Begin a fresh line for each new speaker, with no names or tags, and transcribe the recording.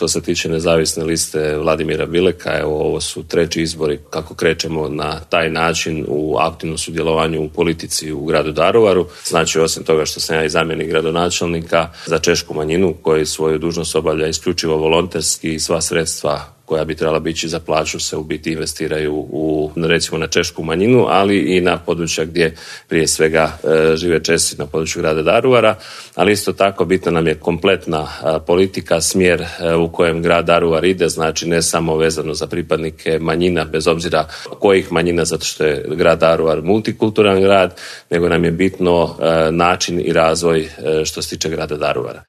što se tiče nezavisne liste Vladimira Bileka, evo ovo su 3. izbori kako krećemo na taj način u aktivnom sudjelovanju u politici u gradu Daruvaru. Znači, osim toga što sam ja i zamjenik gradonačelnika za češku manjinu koji svoju dužnost obavlja isključivo volonterski i sva sredstva koja bi trebala biti za plaću se u biti investiraju recimo na češku manjinu, ali i na područja gdje prije svega žive Česi na području grada Daruvara, ali isto tako bitna nam je kompletna politika, smjer u kojem grad Daruvar ide, znači ne samo vezano za pripadnike manjina, bez obzira kojih manjina, zato što je grad Daruvar multikulturan grad, nego nam je bitno način i razvoj što se tiče grada Daruvara.